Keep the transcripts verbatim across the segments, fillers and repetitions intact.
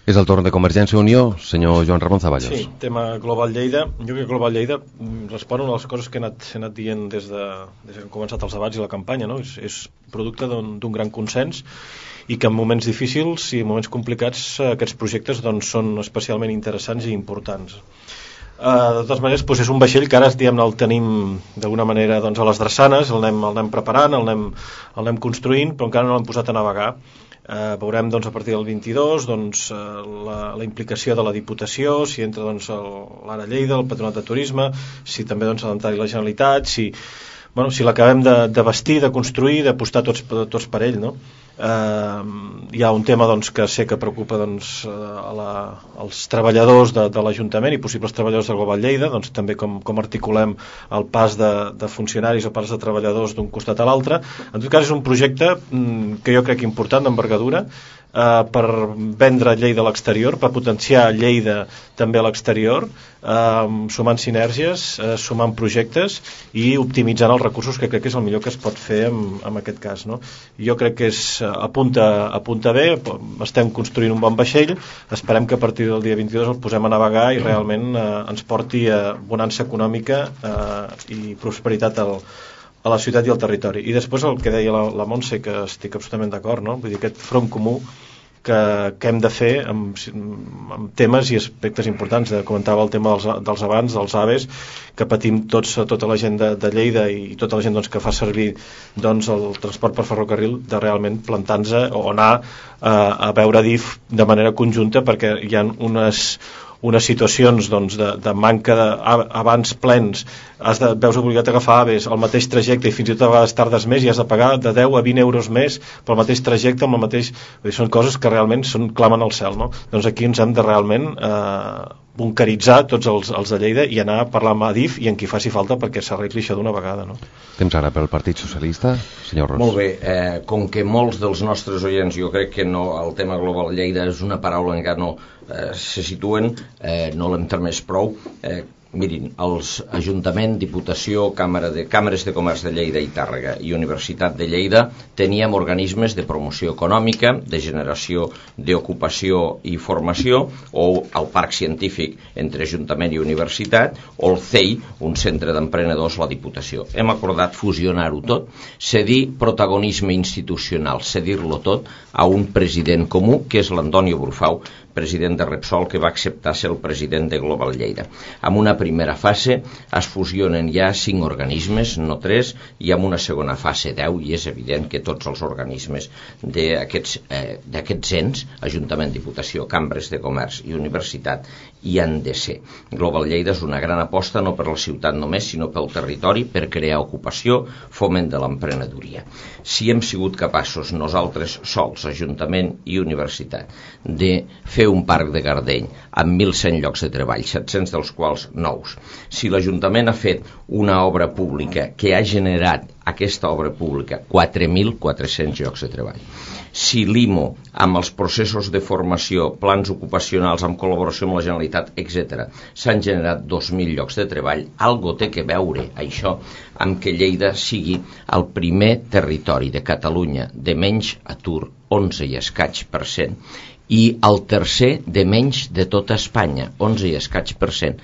És el torn de Convergència i Unió, senyor Joan Ramon Zaballos. Sí, tema Global Lleida. Jo crec que Global Lleida respon a una de les coses que he anat, he anat dient des, de, des que han començat els debats i la campanya, no? És, és producte d'un gran consens i que en moments difícils i en moments complicats aquests projectes doncs, són especialment interessants i importants. Uh, de totes maneres, doncs és un vaixell que ara diguem, el tenim d'alguna manera doncs, a les drassanes, el anem, el anem preparant, el anem, el anem construint, però encara no l'hem posat a navegar. Uh, veurem doncs, a partir del vint-i-dos doncs, uh, la, la implicació de la Diputació, si entra doncs, l'Ara Lleida, el Patronat de Turisme, si també doncs, ha d'entrar-hi la Generalitat, si, bueno, si l'acabem de, de vestir, de construir, d'apostar tots, tots per ell, no? Uh, hi ha un tema doncs, que sé que preocupa doncs, a la, als treballadors de, de l'Ajuntament i possibles treballadors de Global Lleida, doncs, també com, com articulem el pas de, de funcionaris o pas de treballadors d'un costat a l'altre. En tot cas és un projecte mm, que jo crec important, d'envergadura, Uh, per vendre Lleida a l'exterior, per potenciar Lleida també a l'exterior, uh, sumant sinergies, uh, sumant projectes i optimitzant els recursos, que crec que és el millor que es pot fer en, en aquest cas, no? Jo crec que és, uh, apunta, apunta bé, estem construint un bon vaixell, esperem que a partir del dia vint-i-dos el posem a navegar i realment uh, ens porti a bonança econòmica uh, i prosperitat al a la ciutat i al territori. I després el que deia la, la Montse, que estic absolutament d'acord, no? Vull dir, aquest front comú que, que hem de fer amb, amb temes i aspectes importants. Comentava el tema dels, dels abans, dels aves, que patim tots, tota la gent de, de Lleida i tota la gent doncs, que fa servir doncs, el transport per ferrocarril, de realment plantar-nos o anar a, a veure D I F de manera conjunta, perquè hi ha unes unes situacions doncs, de, de manca de, abans plens, has de, veus obligat a agafar aves al mateix trajecte i fins i tot a vegades tardes més i has de pagar de deu a vint euros més pel mateix trajecte, amb el mateix... Vull dir, són coses que realment són, clamen al cel, no? Doncs aquí ens hem de realment eh, bunkeritzar tots els, els de Lleida i anar a parlar amb A D I F i en qui faci falta perquè s'arregli això d'una vegada, no? Temps ara pel Partit Socialista, senyor Ros. Molt bé, eh, com que molts dels nostres oients, jo crec que no, el tema Global Lleida és una paraula encara no eh, se situen, eh, no l'hem tramès prou, eh, mirin, els Ajuntament, Diputació, Càmera de, Càmeres de Comerç de Lleida i Tàrrega i Universitat de Lleida teníem organismes de promoció econòmica, de generació d'ocupació i formació, o el Parc Científic entre Ajuntament i Universitat, o el C E I, un centre d'emprenedors, la Diputació. Hem acordat fusionar-ho tot, cedir protagonisme institucional, cedir-lo tot a un president comú, que és l'Antonio Brufau, president de Repsol, que va acceptar ser el president de Global Lleida. En una primera fase es fusionen ja cinc organismes, no tres, i en una segona fase deu, i és evident que tots els organismes d'aquests eh, d'aquests ens, Ajuntament, Diputació, Cambres de Comerç i Universitat, hi han de ser. Global Lleida és una gran aposta no per la ciutat només, sinó pel territori, per crear ocupació, foment de l'emprenedoria. Si hem sigut capaços nosaltres sols, Ajuntament i Universitat, de fer un parc de Gardeny amb mil cent llocs de treball, set-cents dels quals nous. Si l'Ajuntament ha fet una obra pública que ha generat aquesta obra pública quatre mil quatre-cents llocs de treball. Si l'I M O, amb els processos de formació, plans ocupacionals, amb col·laboració amb la Generalitat, etcètera, s'han generat dos mil llocs de treball, algo té que veure això amb que Lleida sigui el primer territori de Catalunya de menys atur, onze i escaig per cent, i el tercer de menys de tota Espanya, onze i escaig per cent,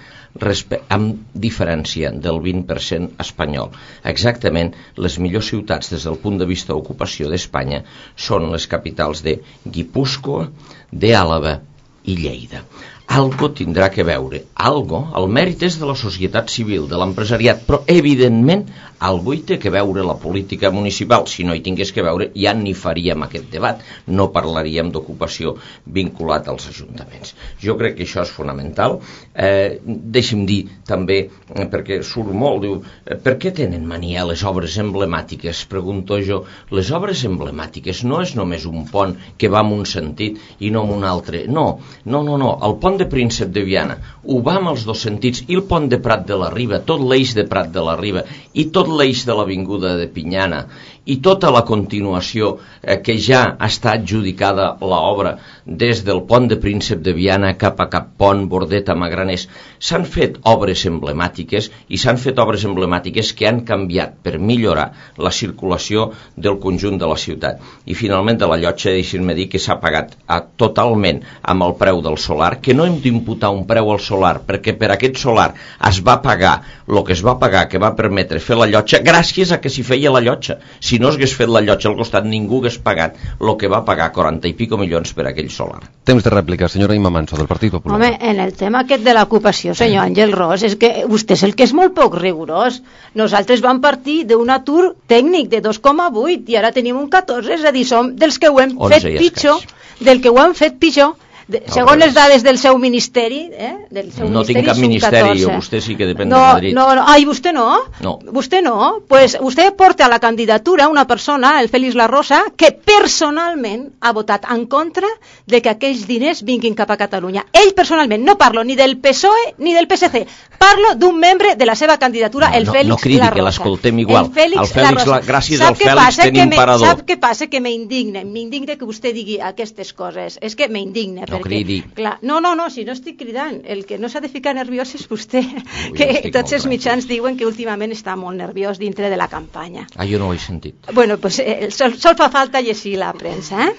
amb diferència del vint per cent espanyol. Exactament, les millors ciutats des del punt de vista d'ocupació d'Espanya són les capitals de Guipúscoa, d'Àlaba i Lleida. Algo tindrà que veure, algo, el mèrit és de la societat civil, de l'empresariat, però evidentment algo hi té que veure la política municipal. Si no hi tingués que veure, ja ni faríem aquest debat, no parlaríem d'ocupació vinculat als ajuntaments. Jo crec que això és fonamental. Eh, deixi'm dir també, perquè surt molt, diu, per què tenen mania les obres emblemàtiques? Pregunto jo, les obres emblemàtiques no és només un pont que va en un sentit i no en un altre. No, no, no, no. El pont de Príncep de Viana ho va amb els dos sentits, i el pont de Prat de la Riba, tot l'eix de Prat de la Riba i tot l'eix de l'avinguda de Pinyana i tota la continuació eh, que ja està adjudicada l'obra des del pont de Príncep de Viana cap a Cap Pont, Bordeta, Magraners, s'han fet obres emblemàtiques i s'han fet obres emblemàtiques que han canviat per millorar la circulació del conjunt de la ciutat. I finalment de la llotja, deixin-me dir que s'ha pagat a, totalment amb el preu del solar, que no hem d'imputar un preu al solar, perquè per aquest solar es va pagar el que es va pagar, que va permetre fer la llotja, gràcies a que s'hi feia la llotja. Si no s'hagués fet la llotja al costat, ningú hagués pagat el que va pagar, quaranta i pico milions per aquell solar. Temps de rèplica, senyora Imma Manso, del Partit Popular. Home, en el tema aquest de l'ocupació, senyor Àngel Ros, és que vostè és el que és molt poc rigorós. Nosaltres vam partir d'un atur tècnic de dos coma vuit i ara tenim un catorze, és a dir, som dels que ho hem fet pitjor, del que ho hem fet pitjor. De, segons les dades del seu ministeri, eh? del seu no ministeri tinc cap ministeri, vostè sí que depèn no, de Madrid. No, no, ai, vostè no? No. Vostè no? Pues vostè porta a la candidatura una persona, el Félix La Rosa, que personalment ha votat en contra de que aquells diners vinguin cap a Catalunya. Ell personalment, no parlo ni del P S O E ni del P S C, parlo d'un membre de la seva candidatura, no, el no, Félix no cridi, La Rosa. Que l'escoltem igual. El Félix, el Félix La la, gràcies sap al Fèlix tenim me, parador. Sap què passa? Que m'indigne, m'indigne que vostè digui aquestes coses. És que m'indigne. No perquè, cridi. Clar, no, no, no, si no estic cridant. El que no s'ha de ficar nerviós és vostè. Ui, que tots els tranquil. mitjans diuen que últimament està molt nerviós dintre de la campanya. Ah, jo no ho he sentit. Bueno, pues eh, sol, sol fa falta llegir la premsa, eh?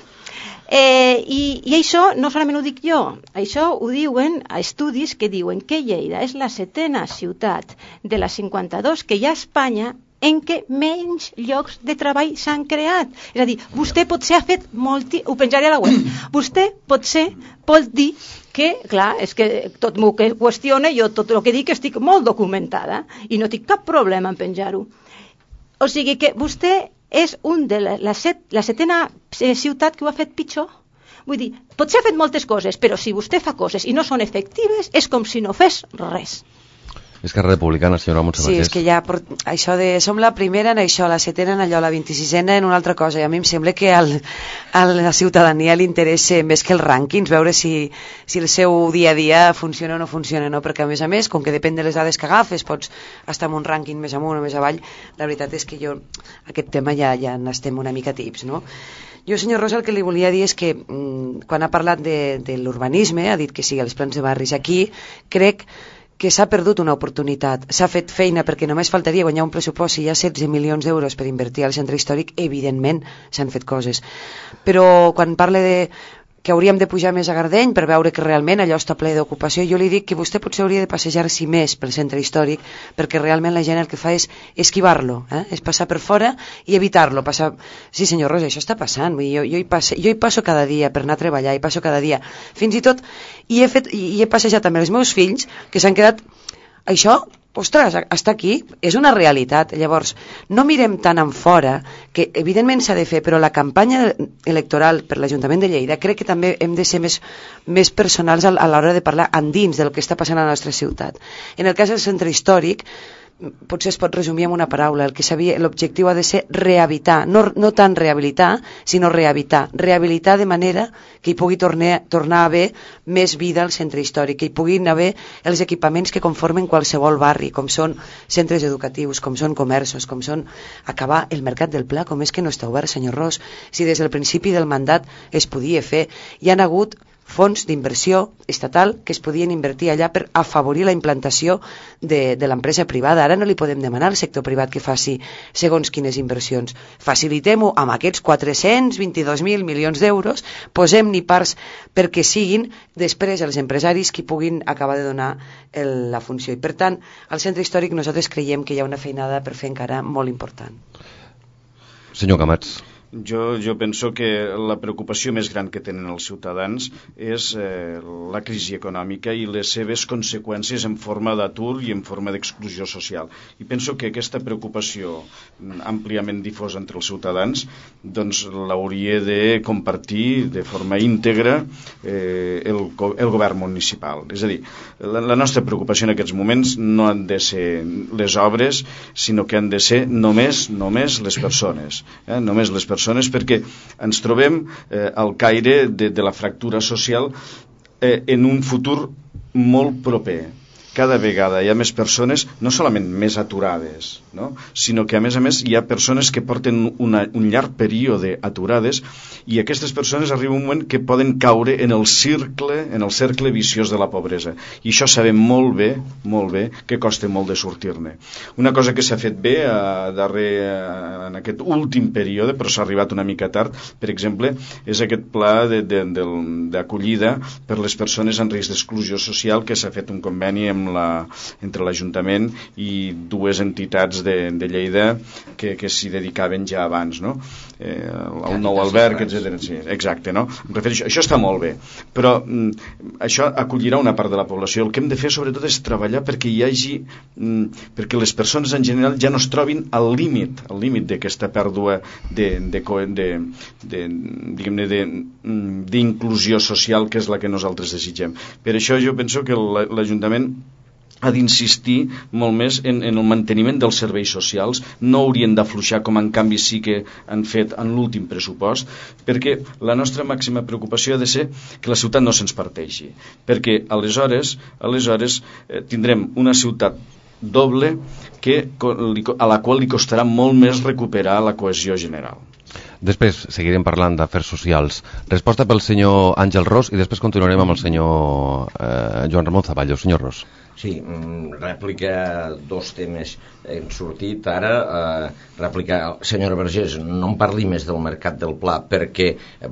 Eh, i, I això no solament ho dic jo, això ho diuen a estudis que diuen que Lleida és la setena ciutat de les cinquanta-dos que hi ha a Espanya en què menys llocs de treball s'han creat. És a dir, vostè potser ha fet molt... Ho penjaré a la web. Vostè potser pot dir que, clar, és que tot el que qüestiona, jo tot el que dic estic molt documentada i no tinc cap problema en penjar-ho. O sigui que vostè és un de la, la, set, la setena ciutat que ho ha fet pitjor. Vull dir, potser ha fet moltes coses, però si vostè fa coses i no són efectives, és com si no fes res. Esquerra Republicana, senyora Montse Sí, és que ja, això de, som la primera en això, la setena en allò, la vint-i-sisena en una altra cosa, i a mi em sembla que al, a la ciutadania li interessa més que els rànquings, veure si, si el seu dia a dia funciona o no funciona, no? Perquè a més a més, com que depèn de les dades que agafes, pots estar en un rànquing més amunt o més avall, la veritat és que jo, aquest tema ja, ja n'estem una mica tips, no? Jo, senyor Rosa, el que li volia dir és que mmm, quan ha parlat de, de l'urbanisme, ha dit que sí, els plans de barris aquí, crec que s'ha perdut una oportunitat, s'ha fet feina perquè només faltaria guanyar un pressupost, si hi ha setze milions d'euros per invertir al centre històric, evidentment s'han fet coses. Però quan parla de que hauríem de pujar més a Gardeny per veure que realment allò està ple d'ocupació, jo li dic que vostè potser hauria de passejar-s'hi més pel centre històric, perquè realment la gent el que fa és esquivar-lo, eh? És passar per fora i evitar-lo. Passar... Sí, senyor Rosa, això està passant. Jo, jo, hi passe, jo hi passo cada dia per anar a treballar, hi passo cada dia. Fins i tot hi he, fet, hi he passejat també els meus fills, que s'han quedat... Això, ostres, està aquí, és una realitat. Llavors, no mirem tant en fora, que evidentment s'ha de fer, però la campanya electoral per l'Ajuntament de Lleida crec que també hem de ser més, més personals a l'hora de parlar endins del que està passant a la nostra ciutat. En el cas del centre històric, potser es pot resumir amb una paraula, el que sabia, l'objectiu ha de ser rehabilitar, no, no tant rehabilitar, sinó rehabilitar, rehabilitar de manera que hi pugui tornar, tornar a haver més vida al centre històric, que hi puguin haver els equipaments que conformen qualsevol barri, com són centres educatius, com són comerços, com són acabar el mercat del Pla, com és que no està obert, senyor Ros, si des del principi del mandat es podia fer. Hi han hagut fons d'inversió estatal que es podien invertir allà per afavorir la implantació de, de l'empresa privada. Ara no li podem demanar al sector privat que faci segons quines inversions. Facilitem-ho amb aquests quatre-cents vint-i-dos mil milions d'euros, posem-n'hi parts perquè siguin després els empresaris qui puguin acabar de donar el, la funció. I per tant, al centre històric nosaltres creiem que hi ha una feinada per fer encara molt important. Senyor Camats. Jo, jo penso que la preocupació més gran que tenen els ciutadans és eh, la crisi econòmica i les seves conseqüències en forma d'atur i en forma d'exclusió social. I penso que aquesta preocupació àmpliament difosa entre els ciutadans doncs l'hauria de compartir de forma íntegra eh, el, el govern municipal. És a dir, la, la nostra preocupació en aquests moments no han de ser les obres, sinó que han de ser només, només les persones. Eh? Només les persones perquè ens trobem eh, al caire de, de la fractura social eh, en un futur molt proper. Cada vegada hi ha més persones, no solament més aturades, no? Sinó que a més a més hi ha persones que porten una, un llarg període aturades, i aquestes persones arriba un moment que poden caure en el cercle, en el cercle viciós de la pobresa, i això sabem molt bé, molt bé, que costa molt de sortir-ne. Una cosa que s'ha fet bé a darrer, en aquest últim període, però s'ha arribat una mica tard, per exemple, és aquest pla d'acollida per les persones en risc d'exclusió social, que s'ha fet un conveni amb La, entre l'Ajuntament i dues entitats de, de Lleida que, que s'hi dedicaven ja abans, no? Eh, el nou alberg, etcètera. Sí, exacte, no? Em refereixo, això està molt bé, però mm, això acollirà una part de la població. El que hem de fer sobretot és treballar perquè hi hagi mm, perquè les persones en general ja no es trobin al límit, al límit d'aquesta pèrdua de, de, de, de, diguem-ne, de, d'inclusió social, que és la que nosaltres desitgem. Per això jo penso que l'Ajuntament ha d'insistir molt més en, en el manteniment dels serveis socials. No haurien d'afluixar, com en canvi sí que han fet en l'últim pressupost, perquè la nostra màxima preocupació ha de ser que la ciutat no se'ns parteixi, perquè aleshores, aleshores eh, tindrem una ciutat doble que, a la qual li costarà molt més recuperar la cohesió general. Després seguirem parlant d'afers socials. Resposta pel senyor Àngel Ros i després continuarem amb el senyor eh, Joan Ramon Zaballos. Senyor Ros. Sí, rèplica, dos temes hem sortit ara. Eh, rèplica, senyora Vergés, no em parli més del mercat del Pla, perquè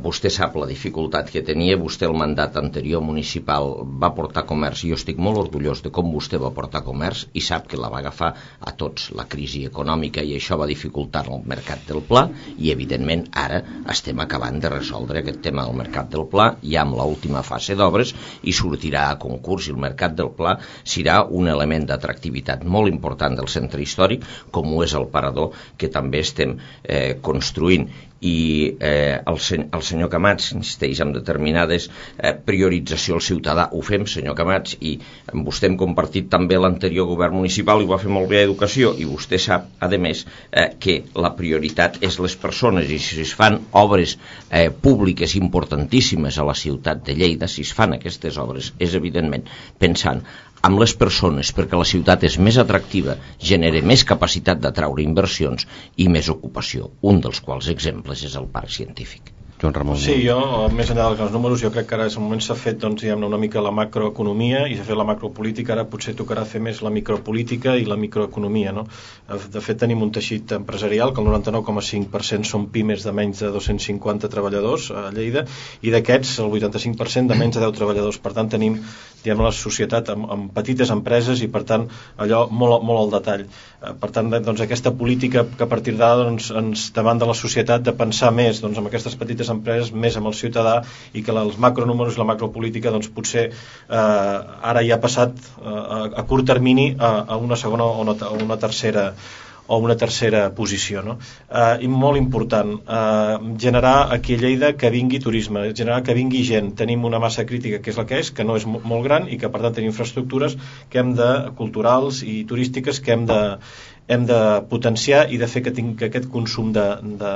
vostè sap la dificultat que tenia. Vostè el mandat anterior municipal va portar comerç, i jo estic molt orgullós de com vostè va portar comerç, i sap que la va agafar a tots la crisi econòmica, i això va dificultar el mercat del Pla, i evidentment ara estem acabant de resoldre aquest tema del mercat del Pla, ja amb l'última fase d'obres, i sortirà a concurs, i el mercat del Pla serà un element d'atractivitat molt important del centre històric, com ho és el parador, que també estem eh, construint. I eh, el, sen el senyor Camats insisteix en determinades eh, priorització al ciutadà. Ho fem, senyor Camats, i amb vostè hem compartit també l'anterior govern municipal, i ho va fer molt bé a Educació, i vostè sap, a més, eh, que la prioritat és les persones, i si es fan obres eh, públiques importantíssimes a la ciutat de Lleida, si es fan aquestes obres, és evidentment pensant amb les persones, perquè la ciutat és més atractiva, genera més capacitat d'atraure inversions i més ocupació, un dels quals exemples és el parc científic. Joan Ramon. Sí, jo, més enllà dels números, jo crec que ara és el moment s'ha fet, doncs, diguem-ne, una mica la macroeconomia, i s'ha fet la macropolítica, ara potser tocarà fer més la micropolítica i la microeconomia, no? De fet, tenim un teixit empresarial que el noranta-nou coma cinc per cent són pimes de menys de dos-cents cinquanta treballadors a Lleida, i d'aquests el vuitanta-cinc per cent de menys de deu treballadors. Per tant, tenim, diguem, la societat amb, amb petites empreses, i per tant allò molt, molt al detall. Per tant, doncs, aquesta política que a partir d'ara, doncs, ens demanda la societat de pensar més, doncs, amb aquestes petites empreses, més amb el ciutadà, i que els macronúmeros i la macropolítica, doncs, potser eh, ara ja ha passat eh, a, a curt termini a, a una segona o una, a una tercera o una tercera posició, no? Eh, i molt important, eh, generar aquí a Lleida que vingui turisme, generar que vingui gent. Tenim una massa crítica que és la que és, que no és molt gran, i que per tant tenim infraestructures que hem de, culturals i turístiques, que hem de hem de potenciar i de fer que, tinc, que aquest consum de, de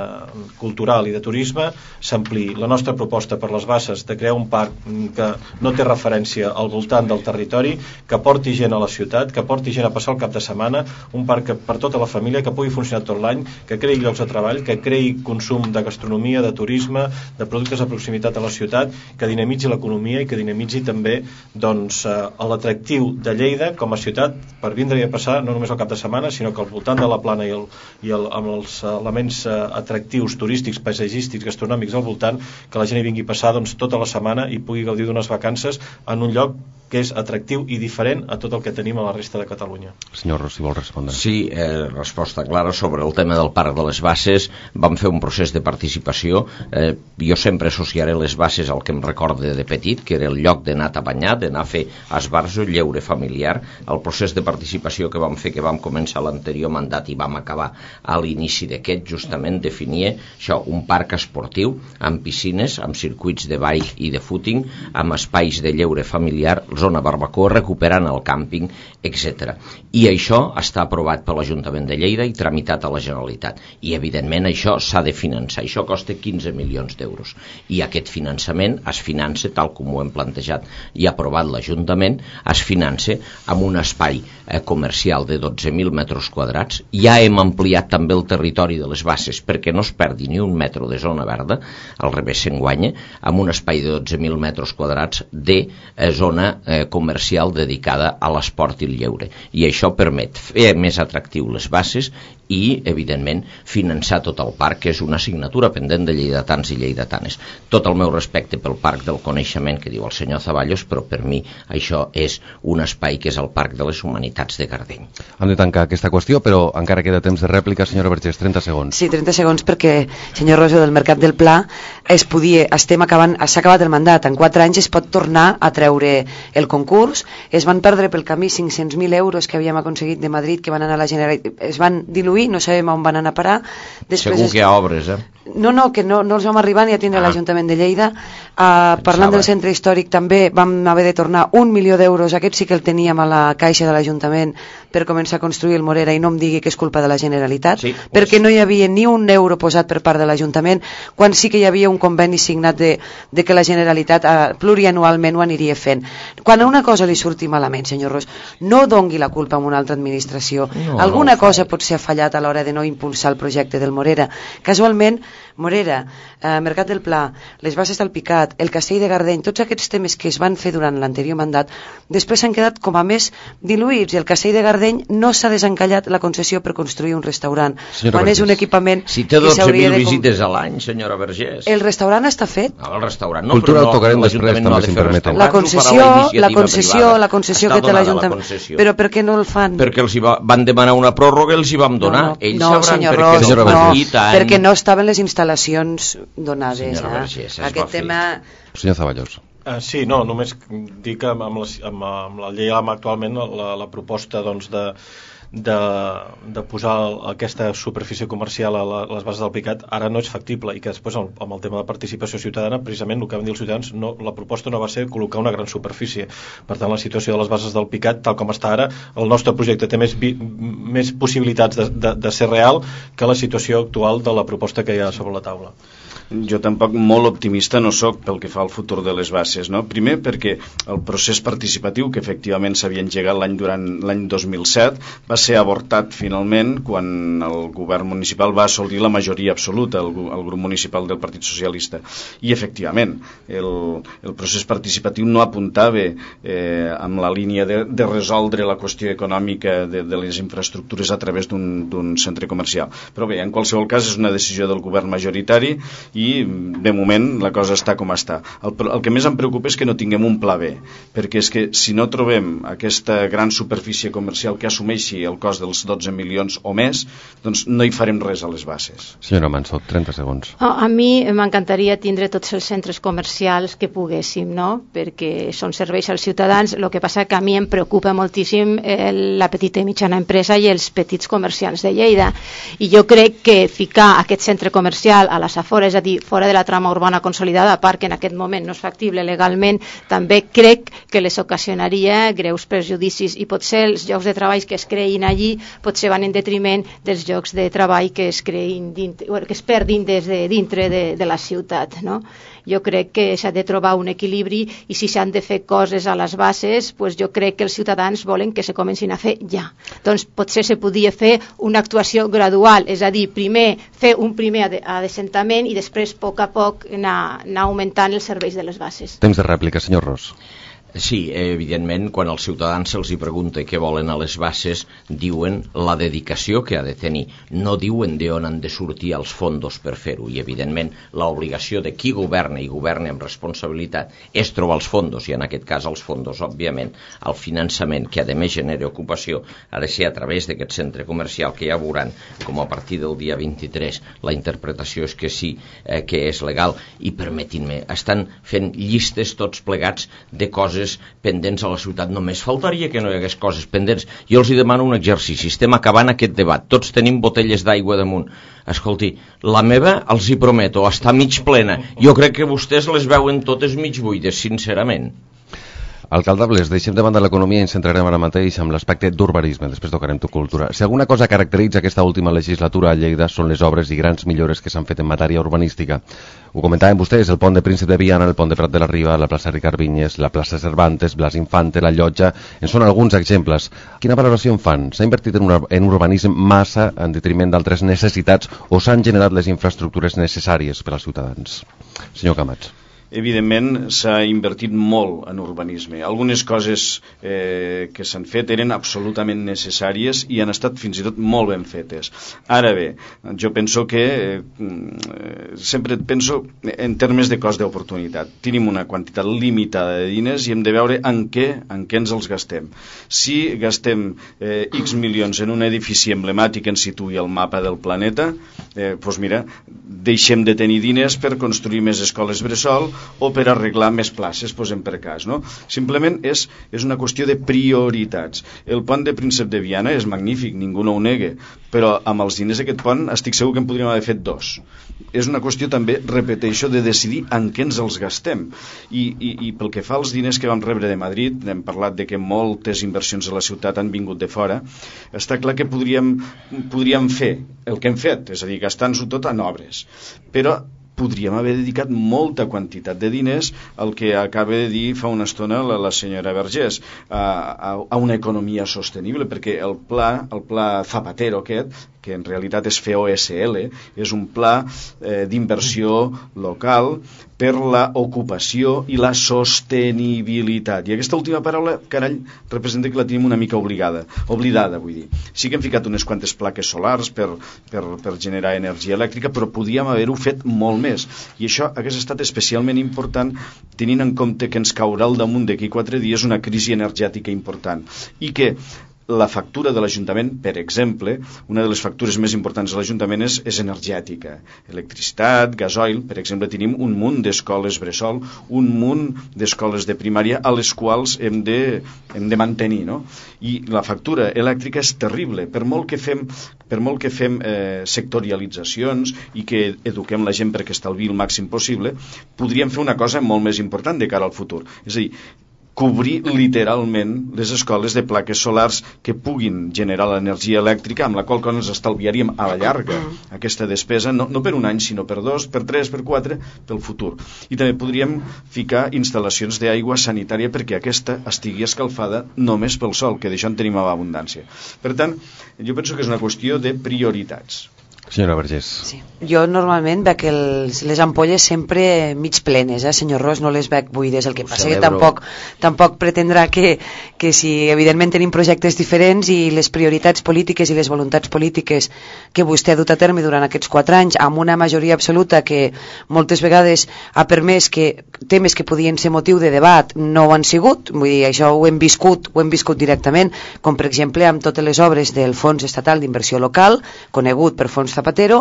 cultural i de turisme s'ampliï. La nostra proposta per les Basses de crear un parc que no té referència al voltant del territori, que porti gent a la ciutat, que porti gent a passar el cap de setmana, un parc que, per tota la família, que pugui funcionar tot l'any, que creï llocs de treball, que creï consum de gastronomia, de turisme, de productes de proximitat a la ciutat, que dinamitzi l'economia i que dinamitzi també, doncs, eh, l'atractiu de Lleida com a ciutat per vindre i a passar no només el cap de setmana, sinó que al voltant de la plana i, el, i el, amb els elements uh, atractius, turístics, paisatgístics, gastronòmics al voltant, que la gent hi vingui a passar, doncs, tota la setmana i pugui gaudir d'unes vacances en un lloc que és atractiu i diferent a tot el que tenim a la resta de Catalunya. Senyor Ros, si vol respondre. Sí, eh, resposta clara sobre el tema del Parc de les Basses. Vam fer un procés de participació. Eh, jo sempre associaré les Basses al que em recorde de petit, que era el lloc d'anar a banyar, d'anar a fer esbarjo, lleure familiar. El procés de participació que vam fer, que vam començar l'anterior mandat i vam acabar a l'inici d'aquest, justament definia això, un parc esportiu amb piscines, amb circuits de bike i de footing, amb espais de lleure familiar, zona barbacoa, recuperant el càmping, etcètera. I això està aprovat per l'Ajuntament de Lleida i tramitat a la Generalitat. I, evidentment, això s'ha de finançar. Això costa quinze milions d'euros. I aquest finançament es finança, tal com ho hem plantejat i aprovat l'Ajuntament, es finança amb un espai eh, comercial de dotze mil metres quadrats. Ja hem ampliat també el territori de les Basses perquè no es perdi ni un metro de zona verda, al revés s'enguanya, amb un espai de dotze mil metres quadrats de eh, zona eh, comercial dedicada a l'esport i el lleure. I això permet fer més atractiu les Basses i, evidentment, finançar tot el parc, que és una assignatura pendent de lleidatans i lleidatanes. Tot el meu respecte pel Parc del Coneixement, que diu el senyor Zaballos, però per mi això és un espai que és el Parc de les Humanitats de Gardeny. Hem de tancar aquesta qüestió, però encara queda temps de rèplica. Senyora Vergés, trenta segons. Sí, trenta segons, perquè, senyor Rosa, del Mercat del Pla es podia, estem acabant, s'ha acabat el mandat, en quatre anys es pot tornar a treure el concurs. Es van perdre pel camí cinc-cents mil euros que havíem aconseguit de Madrid, que van anar a la Generalitat, es van diluir, no sabem on van anar a parar. Després segur que hi ha obres, eh? No, no, que no, no els vam arribar ni a tindre ah. l'Ajuntament de Lleida. Uh, parlant del centre històric també vam haver de tornar un milió d'euros, aquest sí que el teníem a la caixa de l'Ajuntament per començar a construir el Morera, i no em digui que és culpa de la Generalitat, sí, pues... perquè no hi havia ni un euro posat per part de l'Ajuntament, quan sí que hi havia un conveni signat de, de que la Generalitat uh, plurianualment ho aniria fent. Quan a una cosa li surti malament, senyor Ros, no dongui la culpa a una altra administració. No, Alguna no cosa pot ser fallat a l'hora de no impulsar el projecte del Morera. Casualment, Morera, eh, Mercat del Pla, les Basses del Picat, el Castell de Gardeny, tots aquests temes que es van fer durant l'anterior mandat, després s'han quedat com a més diluïts, i el Castell de Gardeny no s'ha desencallat la concessió per construir un restaurant. Senyora quan Vergés, és un equipament... Si té dotze mil visites a l'any, senyora Vergés. El restaurant està fet. No, el restaurant no, Cultura però no, tocarem després, no també, si em permeten. La concessió, la concessió, la concessió que té l'Ajuntament. Però per què no el fan? Perquè els hi va, van demanar una pròrroga i els hi vam donar. No, no, Ells no senyor Ros, no, no, perquè no estaven les instal·lacions donades. Senyora Vergés, eh? Aquest tema... Senyor Zaballos. Uh, sí, no, només dir que amb la, amb, amb la llei actualment la, la proposta doncs, de, de, de posar aquesta superfície comercial a, la, a les bases del Picat ara no és factible, i que després amb, amb el tema de participació ciutadana, precisament el que van dir els ciutadans, no, la proposta no va ser col·locar una gran superfície. Per tant, la situació de les bases del Picat, tal com està ara, el nostre projecte té més, vi, més possibilitats de, de, de ser real que la situació actual de la proposta que hi ha sobre la taula. Jo tampoc molt optimista no sóc pel que fa al futur de les Basses, no? Primer perquè el procés participatiu, que efectivament s'havia engegat l'any durant l'any dos mil set, va ser avortat finalment quan el govern municipal va assolir la majoria absoluta, el, el grup municipal del Partit Socialista. I efectivament, el, el procés participatiu no apuntava eh, amb la línia de, de resoldre la qüestió econòmica de, de les infraestructures a través d'un centre comercial. Però bé, en qualsevol cas és una decisió del govern majoritari i de moment la cosa està com està. El, el que més em preocupa és que no tinguem un pla B, perquè és que si no trobem aquesta gran superfície comercial que assumeixi el cost dels dotze milions o més, doncs no hi farem res a les Basses. Senyora Mansó, trenta segons. Oh, a mi m'encantaria tindre tots els centres comercials que poguéssim, no? Perquè són serveis als ciutadans. El que passa que a mi em preocupa moltíssim eh, la petita i mitjana empresa i els petits comerciants de Lleida. I jo crec que ficar aquest centre comercial a les afores, és a dir, fora de la trama urbana consolidada, a part que en aquest moment no és factible legalment, també crec que les ocasionaria greus perjudicis, i potser els llocs de treball que es creïn allí potser van en detriment dels llocs de treball que es creïn dintre, que es perdin des de dintre de, de la ciutat, no? Jo crec que s'ha de trobar un equilibri, i si s'han de fer coses a les bases, pues jo crec que els ciutadans volen que se comencin a fer ja. Doncs potser se podia fer una actuació gradual, és a dir, primer fer un primer adesentament i després a poc a poc anar, anar augmentant els serveis de les bases. Temps de rèplica, senyor Ros. Sí, evidentment, quan als ciutadans se'ls hi pregunta què volen a les Basses, diuen la dedicació que ha de tenir. No diuen d'on han de sortir els fondos per fer-ho. I, evidentment, l'obligació de qui governa i governa amb responsabilitat és trobar els fondos, i en aquest cas els fondos, òbviament, el finançament que a més genera ocupació ha de ser a través d'aquest centre comercial, que ja veuran com a partir del dia vint-i-tres la interpretació és que sí, eh, que és legal. I permetin-me, estan fent llistes tots plegats de coses pendents a la ciutat. Només faltaria que no hi hagués coses pendents. Jo els hi demano un exercici. Estem acabant aquest debat. Tots tenim botelles d'aigua damunt. Escolti, la meva, els hi prometo, està mig plena. Jo crec que vostès les veuen totes mig buides, sincerament. Alcalde Bles, deixem de banda l'economia i ens centrarem ara mateix amb l'aspecte d'urbanisme, després tocarem tu cultura. Si alguna cosa caracteritza aquesta última legislatura a Lleida són les obres i grans millores que s'han fet en matèria urbanística. Ho comentaven vostès, el pont de Príncep de Viana, el pont de Prat de la Riba, la plaça Ricard Vinyes, la plaça Cervantes, Blas Infante, la Llotja, en són alguns exemples. Quina valoració en fan? S'ha invertit en, una, en urbanisme massa en detriment d'altres necessitats o s'han generat les infraestructures necessàries per als ciutadans? Senyor Camats. Evidentment s'ha invertit molt en urbanisme. Algunes coses eh, que s'han fet eren absolutament necessàries i han estat fins i tot molt ben fetes. Ara bé, jo penso que eh, sempre penso en termes de cost d'oportunitat. Tenim una quantitat limitada de diners i hem de veure en què, en què ens els gastem. Si gastem eh, X milions en un edifici emblemàtic que ens situï al mapa del planeta, eh, doncs mira, deixem de tenir diners per construir més escoles bressol o per arreglar més places, posem per cas, no? Simplement és, és una qüestió de prioritats. El pont de Príncep de Viana és magnífic, ningú no ho nega, però amb els diners d'aquest pont estic segur que en podríem haver fet dos. És una qüestió també, repeteixo, de decidir en què ens els gastem. I, i, i pel que fa als diners que vam rebre de Madrid, hem parlat de que moltes inversions a la ciutat han vingut de fora, està clar que podríem, podríem fer el que hem fet, és a dir, gastant-ho tot en obres. Però podríem haver dedicat molta quantitat de diners al que acaba de dir fa una estona la, la senyora Vergés, a, a, a una economia sostenible, perquè el pla, el pla Zapatero aquest, que en realitat és F O S L, és un pla eh, d'inversió local per la ocupació i la sostenibilitat. I aquesta última paraula, carall, representa que la tenim una mica obligada, oblidada, vull dir. Sí que hem ficat unes quantes plaques solars per, per, per generar energia elèctrica, però podíem haver-ho fet molt més. I això hagués estat especialment important tenint en compte que ens caurà al damunt d'aquí quatre dies una crisi energètica important i que la factura de l'Ajuntament, per exemple, una de les factures més importants de l'Ajuntament és, és energètica. Electricitat, gasoil, per exemple, tenim un munt d'escoles bressol, un munt d'escoles de primària a les quals hem de, hem de mantenir, no? I la factura elèctrica és terrible. Per molt que fem, per molt que fem eh, sectorialitzacions i que eduquem la gent perquè estalviï el màxim possible, podríem fer una cosa molt més important de cara al futur. És a dir, cobrir literalment les escoles de plaques solars que puguin generar l'energia elèctrica, amb la qual cosa ens estalviaríem a la llarga aquesta despesa, no, no per un any, sinó per dos, per tres, per quatre, pel futur. I també podríem ficar instal·lacions d'aigua sanitària perquè aquesta estigui escalfada només pel sol, que d'això en tenim a abundància. Per tant, jo penso que és una qüestió de prioritats. Senyora Vergés. Sí. Jo normalment veig els, les ampolles sempre mig plenes, eh, senyor Ros, no les veig buides. El que passa que tampoc, tampoc pretendrà que, que si evidentment tenim projectes diferents i les prioritats polítiques i les voluntats polítiques que vostè ha dut a terme durant aquests quatre anys amb una majoria absoluta que moltes vegades ha permès que temes que podien ser motiu de debat no ho han sigut, vull dir, això ho hem viscut, ho hem viscut directament, com per exemple amb totes les obres del Fons Estatal d'Inversió Local, conegut per Fons Zapatero,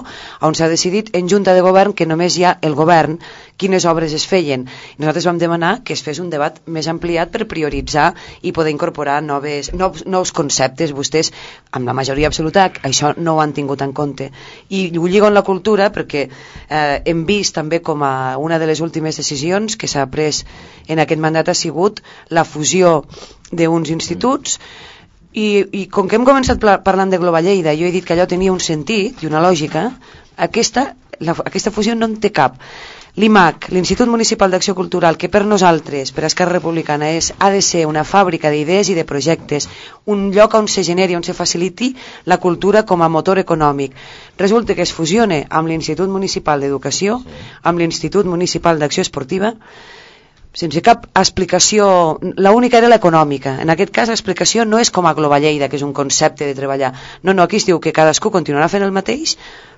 on s'ha decidit en Junta de Govern que només hi ha el govern quines obres es feien. Nosaltres vam demanar que es fes un debat més ampliat per prioritzar i poder incorporar noves, nous, nous conceptes. Vostès, amb la majoria absoluta, això no ho han tingut en compte. I ho lligo en la cultura perquè eh, hem vist també com a una de les últimes decisions que s'ha pres en aquest mandat ha sigut la fusió d'uns instituts. I, i com que hem començat parlant de Global Lleida, jo he dit que allò tenia un sentit i una lògica, aquesta, la, aquesta fusió no en té cap. L'I M A C, l'Institut Municipal d'Acció Cultural, que per nosaltres, per Esquerra Republicana, és, ha de ser una fàbrica d'idees i de projectes, un lloc on se generi, on se faciliti la cultura com a motor econòmic. Resulta que es fusione amb l'Institut Municipal d'Educació, amb l'Institut Municipal d'Acció Esportiva, sense cap explicació. L'única era l'econòmica. En aquest cas l'explicació no és com a Global Lleida, que és un concepte de treballar. No, no, aquí es diu que cadascú continuarà fent el mateix,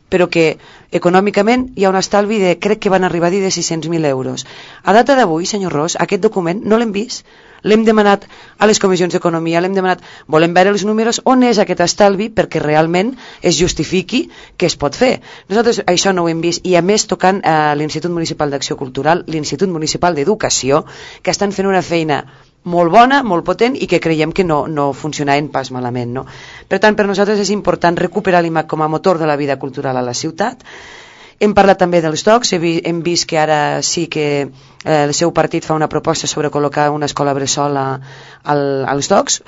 però que econòmicament hi ha un estalvi de, crec que van arribar a dir, de sis-cents mil euros. A data d'avui, senyor Ros, aquest document no l'hem vist. L'hem demanat a les comissions d'economia, l'hem demanat, volem veure els números, on és aquest estalvi perquè realment es justifiqui que es pot fer. Nosaltres això no ho hem vist, i a més tocant a l'Institut Municipal d'Acció Cultural, l'Institut Municipal d'Educació, que estan fent una feina molt bona, molt potent, i que creiem que no, no funcionaven pas malament, no? Per tant, per nosaltres és important recuperar l'I M A C com a motor de la vida cultural a la ciutat. Hem parlat també dels docs, hem vist que ara sí que eh, el seu partit fa una proposta sobre col·locar una escola bressol a, al, als docks.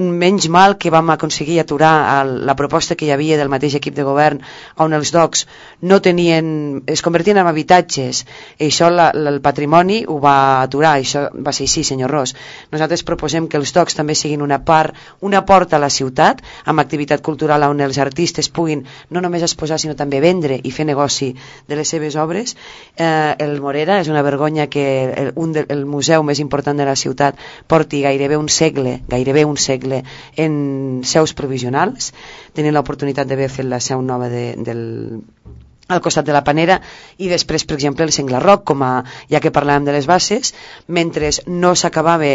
Menys mal que vam aconseguir aturar el, la proposta que hi havia del mateix equip de govern on els docks no tenien, es convertien en habitatges, i això la, la, el patrimoni ho va aturar. Això va ser així, senyor Ros. Nosaltres proposem que els docks també siguin una part, una porta a la ciutat, amb activitat cultural on els artistes puguin no només exposar sinó també vendre i fer negoci de les seves obres. eh, el Morera és una vergonya que el, un de, el museu més important de la ciutat porti gairebé un segle, gairebé un segle en seus provisionals. Tenint l'oportunitat d'haver fet la seu nova de, del al costat de la Panera, i després, per exemple, el Senglarroc, com a, ja que parlàvem de les bases, mentre no s'acabava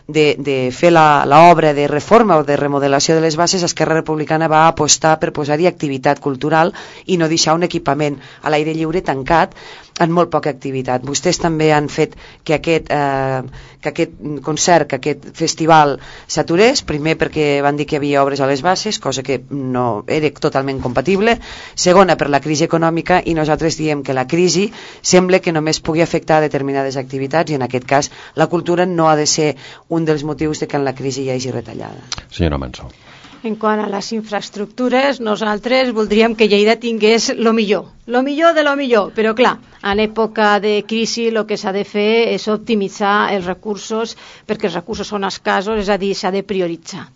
de, de fer l'obra de reforma o de remodelació de les bases, Esquerra Republicana va apostar per posar-hi activitat cultural i no deixar un equipament a l'aire lliure tancat en molt poca activitat. Vostès també han fet que aquest, eh, que aquest concert, que aquest festival s'aturés, primer perquè van dir que hi havia obres a les bases, cosa que no era totalment compatible, segona per la crisi econòmica, i nosaltres diem que la crisi sembla que només pugui afectar determinades activitats, i en aquest cas la cultura no ha de ser un dels motius de que en la crisi hi hagi retallada. Senyora Mansó. En quant a les infraestructures, nosaltres voldríem que Lleida tingués lo millor, lo millor de lo millor, però clar, en època de crisi el que s'ha de fer és optimitzar els recursos, perquè els recursos són escassos, és a dir, s'ha de prioritzar.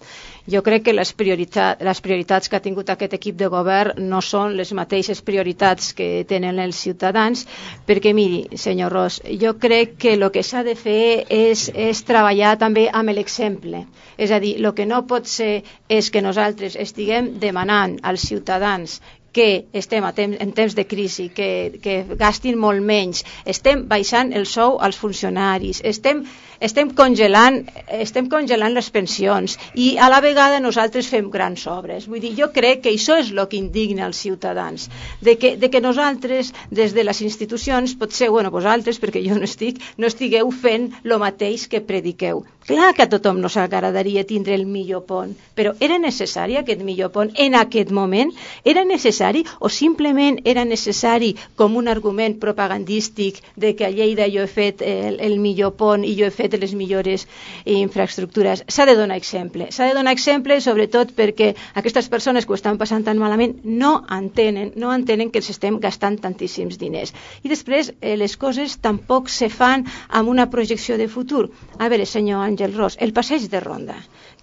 Jo crec que les, prioritat, les prioritats que ha tingut aquest equip de govern no són les mateixes prioritats que tenen els ciutadans, perquè miri, senyor Ros, jo crec que el que s'ha de fer és, és treballar també amb l'exemple. És a dir, el que no pot ser és que nosaltres estiguem demanant als ciutadans que estem a temps, en temps de crisi, que, que gastin molt menys, estem baixant el sou als funcionaris, estem, estem, congelant, estem congelant les pensions, i a la vegada nosaltres fem grans obres. Vull dir, jo crec que això és el que indigna als ciutadans, de que, de que nosaltres, des de les institucions, potser, bueno, vosaltres, perquè jo no estic, no estigueu fent el mateix que prediqueu. Clar que a tothom no s'agradaria tindre el millor pont, però era necessari aquest millor pont en aquest moment? Era necessari o simplement era necessari com un argument propagandístic de que a Lleida jo he fet el, el millor pont i jo he fet les millores infraestructures? S'ha de donar exemple. S'ha de donar exemple sobretot perquè aquestes persones que ho estan passant tan malament no entenen, no entenen que els estem gastant tantíssims diners. I després eh, les coses tampoc se fan amb una projecció de futur. A veure, senyor Àngel Ros, el passeig de Ronda,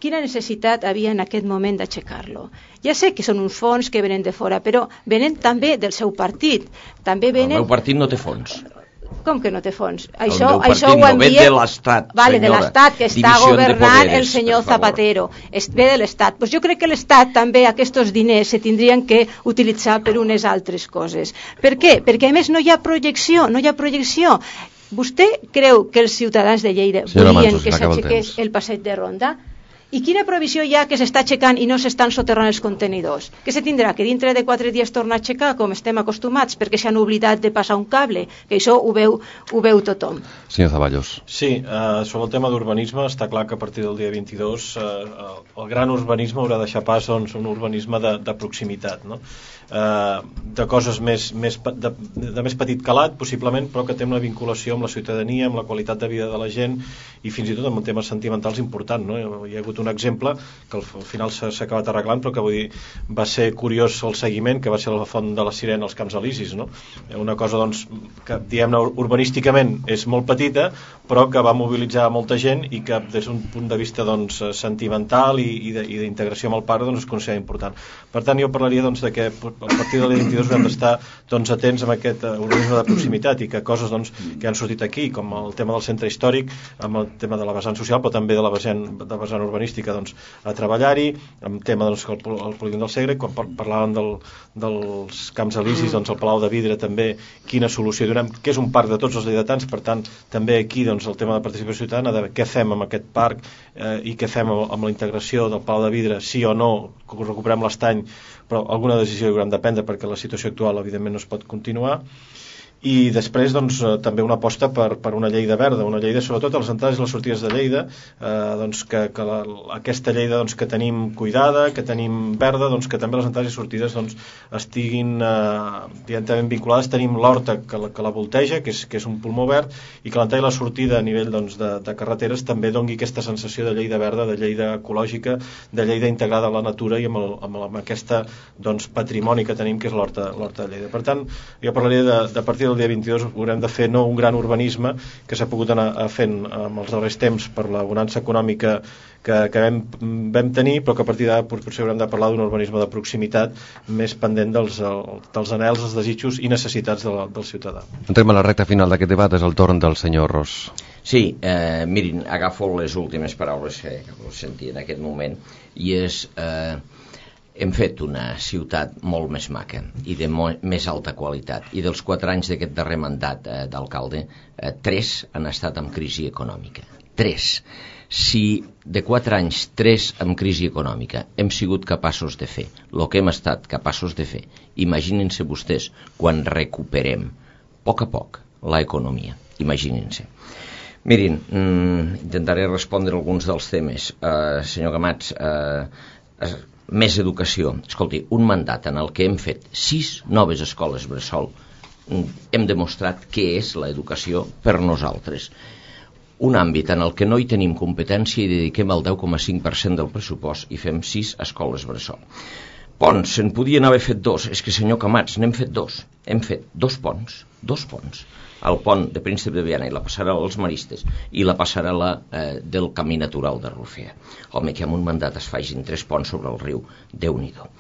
quina necessitat havia en aquest moment d'aixecar-lo? Ja sé que són uns fons que venen de fora, però venen també del seu partit. També venen... El meu partit no té fons. Com que no té fons? El això, meu partit això ho no ve envia... de l'Estat, vale, senyora. de l'Estat, que està Divisió de governant poderes, el senyor per favor. Zapatero. Es ve de l'Estat. Pues jo crec que l'Estat també aquests diners se tindrien que utilitzar per unes altres coses. Per què? Perquè a més no hi ha projecció, no hi ha projecció. Vostè creu que els ciutadans de Lleida Senyora volien Manso, que s'acaba el s'aixequés temps. el passeig de Ronda? I quina provisió hi ha que s'està aixecant i no s'estan soterrant els contenidors? Què se tindrà? Que dintre de quatre dies torna a aixecar, com estem acostumats, perquè s'han oblidat de passar un cable? Que això ho veu, ho veu tothom. Senyor Zaballos. Sí, eh, sobre el tema d'urbanisme està clar que a partir del dia vint-i-dos eh, el gran urbanisme haurà de deixar pas doncs, un urbanisme de, de proximitat, no? Eh, de coses més, més de, de més petit calat possiblement, però que té una vinculació amb la ciutadania, amb la qualitat de vida de la gent i fins i tot amb temes sentimentals important, no? Hi ha hagut un exemple que al final s'ha acabat arreglant, però que vull dir, va ser curiós el seguiment, que va ser la font de la Sirena als Camps Elisis, no? Una cosa doncs, que diguem-ne urbanísticament és molt petita, però que va mobilitzar molta gent i que des d'un punt de vista doncs, sentimental i, i d'integració amb el parc doncs, es considera important. Per tant, jo parlaria doncs, de que a partir de l'any vint-i-dos haurem d'estar doncs, atents amb aquest uh, urbanisme de proximitat i que coses doncs, que han sortit aquí, com el tema del centre històric, amb el tema de la vessant social, però també de la vessant, de la vessant urbanística, doncs, a treballar-hi, amb tema doncs, el, el polígon del Segre, quan parlàvem del, dels Camps Elisis, doncs, el Palau de Vidre també, quina solució donem, que és un parc de tots els lleidatans, per tant, també aquí doncs, el tema de participació ciutadana, de què fem amb aquest parc eh, i què fem amb, amb la integració del Palau de Vidre, sí o no, que recuperem l'estany, però alguna decisió hi haurem de prendre perquè la situació actual evidentment no es pot continuar. I després doncs, també una aposta per, per una Lleida verda, una Lleida sobretot a les entrades i les sortides de Lleida, eh, doncs, que, que la, aquesta Lleida doncs, que tenim cuidada, que tenim verda, doncs, que també les entrades i sortides doncs, estiguin eh, directament vinculades. Tenim l'horta que, la, que la volteja, que és, que és un pulmó verd, i que l'entrada i la sortida a nivell doncs, de, de carreteres també doni aquesta sensació de Lleida verda, de Lleida ecològica, de Lleida integrada a la natura i amb, el, amb, el, amb aquesta doncs, patrimoni que tenim, que és l'horta de Lleida. Per tant, jo parlaria de, de partir el dia vint-i-dos haurem de fer no un gran urbanisme que s'ha pogut anar fent amb els darrers temps per la bonança econòmica que, que vam, vam tenir, però que a partir d'ara potser haurem de parlar d'un urbanisme de proximitat més pendent dels, dels anhels, els desitjos i necessitats del, del ciutadà. Entrem a la recta final d'aquest debat, és el torn del senyor Ros. Sí, eh, mirin, agafo les últimes paraules que, que sentia en aquest moment, i és... Eh, hem fet una ciutat molt més maca i de més alta qualitat, i dels quatre anys d'aquest darrer mandat eh, d'alcalde, eh, tres han estat amb crisi econòmica. Tres. Si de quatre anys, tres amb crisi econòmica, hem sigut capaços de fer el que hem estat capaços de fer, imaginin-se vostès quan recuperem a poc a poc la economia. Imaginin-se. Mirin, mm, intentaré respondre alguns dels temes. Uh, senyor Camats, uh, més educació. Escolti, un mandat en el que hem fet sis noves escoles bressol, hem demostrat què és l'educació per nosaltres. Un àmbit en el que no hi tenim competència i dediquem el deu coma cinc per cent del pressupost i fem sis escoles bressol. Ponts, se'n podien haver fet dos. És que, senyor Camats, n'hem fet dos. Hem fet dos ponts, dos ponts. El pont de Príncep de Viana i la passarel·la dels Maristes i la passarel·la eh, del Camí Natural de Rufea. Home, que amb un mandat es facin tres ponts sobre el riu, Déu-n'hi-do.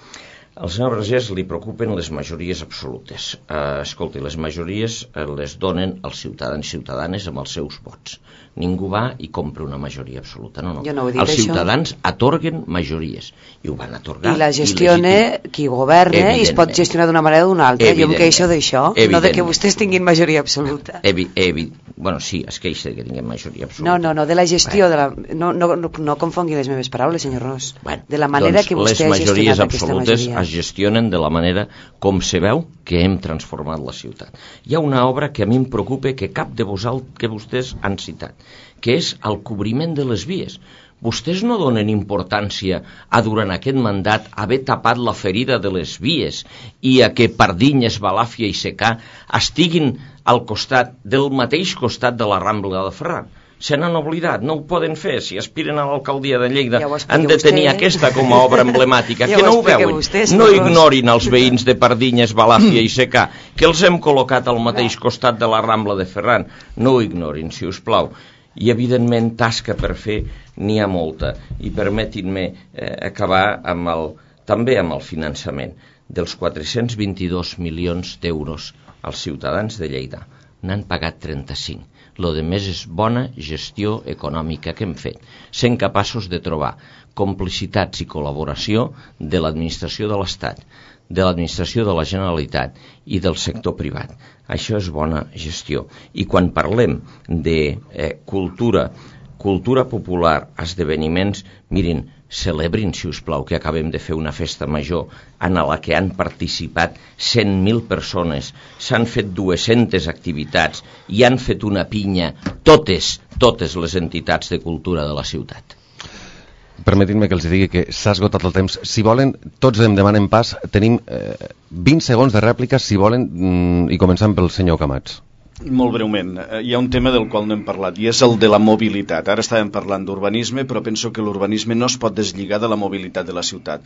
Al senyor Vergés li preocupen les majories absolutes. Eh, escolti, les majories eh, les donen els ciutadans i ciutadanes amb els seus vots. Ningú va i compra una majoria absoluta. No, no. Jo no ho he dit, els això. Ciutadans atorguen majories i ho van atorgar. I la gestiona il·legítim. Qui governa i es pot gestionar d'una manera o d'una altra. Jo em queixo d'això, no de que vostès tinguin majoria absoluta. Evi, evi, bueno, sí, es queixa que tinguem majoria absoluta. No, no, no, de la gestió, bueno. de la, no, no, no, no confongui les meves paraules, senyor Ros. Bueno, de la manera doncs que vostè ha gestionat aquesta majoria. Es gestionen de la manera com se veu que hem transformat la ciutat. Hi ha una obra que a mi em preocupa que cap de vosaltres que vostès han citat, que és el cobriment de les vies. Vostès no donen importància a durant aquest mandat haver tapat la ferida de les vies i a que Pardinyes, Balàfia i Secà estiguin al costat del mateix costat de la Rambla de Ferran. Se n'han oblidat, no ho poden fer. Si aspiren a l'alcaldia de Lleida, ja han de tenir vostè, aquesta com a obra emblemàtica. Ja que no ho veuen? Vostès, no ignorin els veïns de Pardinyes, Balàfia i Secà, que els hem col·locat al mateix costat de la Rambla de Ferran. No ho ignorin, si us plau. I, evidentment, tasca per fer n'hi ha molta. I permetin-me eh, acabar amb el, també amb el finançament. Dels quatre-cents vint-i-dos milions d'euros als ciutadans de Lleida, n'han pagat trenta-cinc. Lo de més és bona gestió econòmica que hem fet, sent capaços de trobar complicitats i col·laboració de l'administració de l'Estat, de l'administració de la Generalitat i del sector privat. Això és bona gestió. I quan parlem de eh, cultura, cultura popular, esdeveniments, mirin, celebrin, si us plau, que acabem de fer una festa major en la que han participat cent mil persones, s'han fet dues-centes activitats i han fet una pinya totes, totes les entitats de cultura de la ciutat. Permetin-me que els digui que s'ha esgotat el temps. Si volen, tots em demanen pas, tenim eh, vint segons de rèplica, si volen, mm, i començant pel senyor Camats. Molt breument, hi ha un tema del qual no hem parlat i és el de la mobilitat. Ara estàvem parlant d'urbanisme, però penso que l'urbanisme no es pot deslligar de la mobilitat de la ciutat.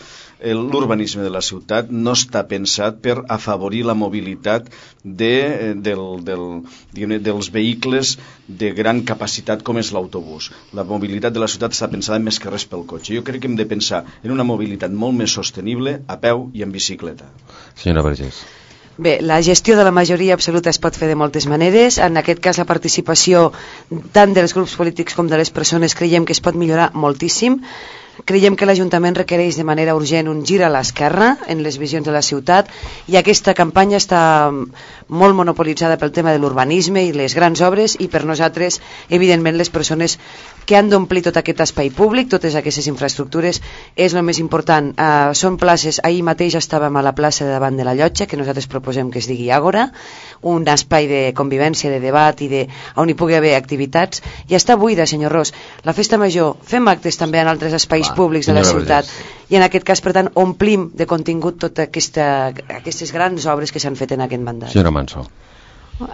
L'urbanisme de la ciutat no està pensat per afavorir la mobilitat de, del, del, diguem, dels vehicles de gran capacitat com és l'autobús. La mobilitat de la ciutat està pensada més que res pel cotxe. Jo crec que hem de pensar en una mobilitat molt més sostenible a peu i en bicicleta. Senyora Vergés. Bé, la gestió de la majoria absoluta es pot fer de moltes maneres. En aquest cas, la participació tant dels grups polítics com de les persones creiem que es pot millorar moltíssim. Creiem que l'Ajuntament requereix de manera urgent un gir a l'esquerra en les visions de la ciutat, i aquesta campanya està molt monopolitzada pel tema de l'urbanisme i les grans obres, i per nosaltres, evidentment, les persones que han d'omplir tot aquest espai públic, totes aquestes infraestructures, és el més important. Uh, són places, ahir mateix estàvem a la plaça de davant de la Llotja, que nosaltres proposem que es digui Àgora, un espai de convivència, de debat i de, on hi pugui haver activitats, i està buida, senyor Ros. La festa major, fem actes també en altres espais Clar, públics de la ciutat, i en aquest cas, per tant, omplim de contingut totes aquesta, aquestes grans obres que s'han fet en aquest mandat. Senyora Manso.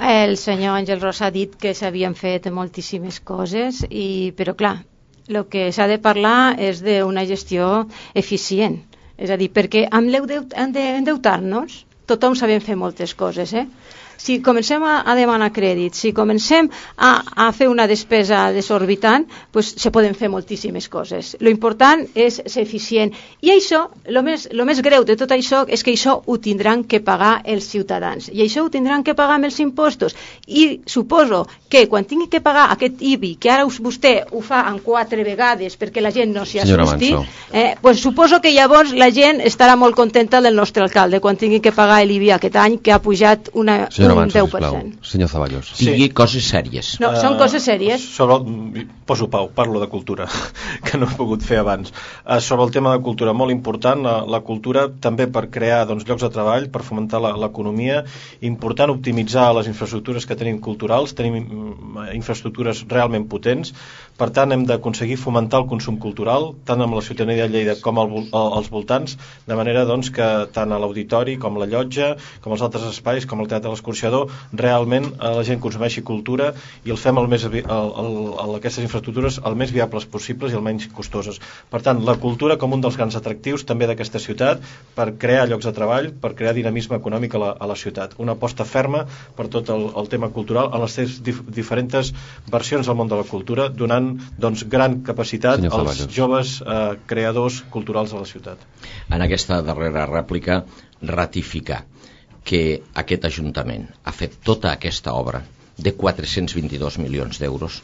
El senyor Àngel Ros ha dit que s'havien fet moltíssimes coses, i, però clar, el que s'ha de parlar és d'una gestió eficient. És a dir, perquè amb l'endeutar-nos tothom sabem fer moltes coses, eh? Si comencem a, a demanar crèdit, si comencem a, a fer una despesa desorbitant, pues, se poden fer moltíssimes coses. Lo important és ser eficient. I això, lo més, lo més greu de tot això, és que això ho tindran que pagar els ciutadans. I això ho tindran que pagar amb els impostos. I suposo que quan tingui que pagar aquest I B I, que ara vostè ho fa en quatre vegades perquè la gent no s'hi asusti, eh, pues suposo que llavors la gent estarà molt contenta del nostre alcalde quan tingui que pagar l'I B I aquest any, que ha pujat una... Senyora Manso, sisplau. Senyor Zaballos. Digui sí. Coses sèries. No, uh, són coses sèries. Sobre, poso pau, parlo de cultura, que no he pogut fer abans. Uh, sobre el tema de cultura, molt important, la, la cultura també per crear doncs, llocs de treball, per fomentar l'economia, important optimitzar les infraestructures que tenim culturals, tenim infraestructures realment potents, per tant hem d'aconseguir fomentar el consum cultural, tant amb la ciutadania de Lleida com al, als voltants, de manera doncs, que tant a l'auditori com a la llotja, com als altres espais, com el teatre de l'excursió, realment la gent consumeixi cultura i el fem el més, el, el, el, aquestes infraestructures el més viables possibles i el menys costoses. Per tant, la cultura com un dels grans atractius també d'aquesta ciutat per crear llocs de treball, per crear dinamisme econòmic a la, a la ciutat. Una aposta ferma per tot el, el tema cultural en les seves dif, diferents versions del món de la cultura, donant doncs, gran capacitat Senyor als Zaballos. joves eh, creadors culturals de la ciutat. En aquesta darrera rèplica, ratificar que aquest Ajuntament ha fet tota aquesta obra de quatre-cents vint-i-dos milions d'euros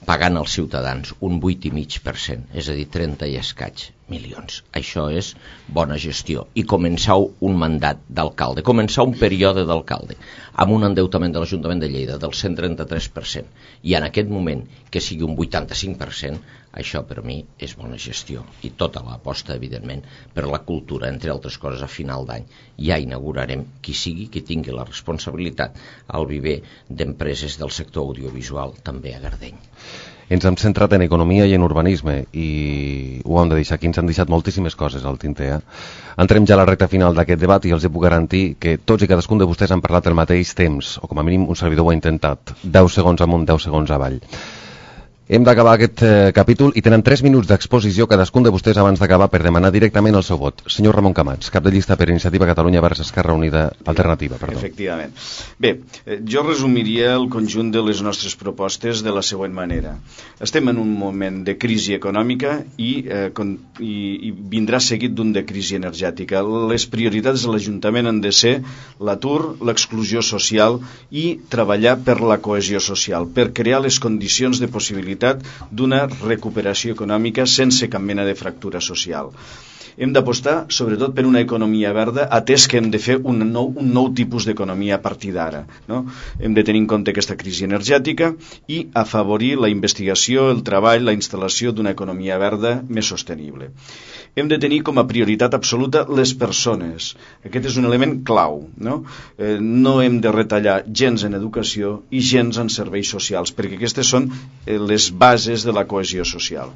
pagant als ciutadans un vuit coma cinc per cent, és a dir, trenta i escaig milions. Això és bona gestió. I començar un mandat d'alcalde, començar un període d'alcalde, amb un endeutament de l'Ajuntament de Lleida del cent trenta-tres per cent, i en aquest moment que sigui un vuitanta-cinc per cent, això per mi és bona gestió. I tota l'aposta, evidentment, per la cultura, entre altres coses, a final d'any ja inaugurarem qui sigui qui tingui la responsabilitat al viver d'empreses del sector audiovisual, també a Gardeny. Ens hem centrat en economia i en urbanisme i ho hem de deixar aquí, ens han deixat moltíssimes coses al tinter. Eh? Entrem ja a la recta final d'aquest debat i els puc garantir que tots i cadascun de vostès han parlat al mateix temps, o com a mínim un servidor ho ha intentat, deu segons amunt, deu segons avall. Hem d'acabar aquest eh, capítol i tenen tres minuts d'exposició cadascun de vostès abans d'acabar per demanar directament el seu vot. Senyor Ramon Camats, cap de llista per Iniciativa Catalunya vers Esquerra Unida Alternativa. Perdó. Efectivament. Bé, eh, jo resumiria el conjunt de les nostres propostes de la següent manera. Estem en un moment de crisi econòmica i, eh, con, i, i vindrà seguit d'un de crisi energètica. Les prioritats de l'Ajuntament han de ser l'atur, l'exclusió social i treballar per la cohesió social, per crear les condicions de possibilitat d'una recuperació econòmica sense cap mena de fractura social. Hem d'apostar sobretot per una economia verda, atès que hem de fer un nou, un nou tipus d'economia a partir d'ara, no? Hem de tenir en compte aquesta crisi energètica i afavorir la investigació, el treball, la instal·lació d'una economia verda més sostenible. Hem de tenir com a prioritat absoluta les persones. Aquest és un element clau, no? Eh, no hem de retallar gens en educació i gens en serveis socials, perquè aquestes són eh, les bases de la cohesió social.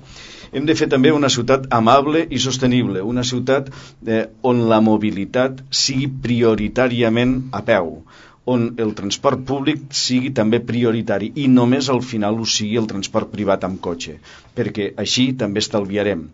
Hem de fer també una ciutat amable i sostenible, una ciutat eh, on la mobilitat sigui prioritàriament a peu, on el transport públic sigui també prioritari i només al final ho sigui el transport privat amb cotxe, perquè així també estalviarem.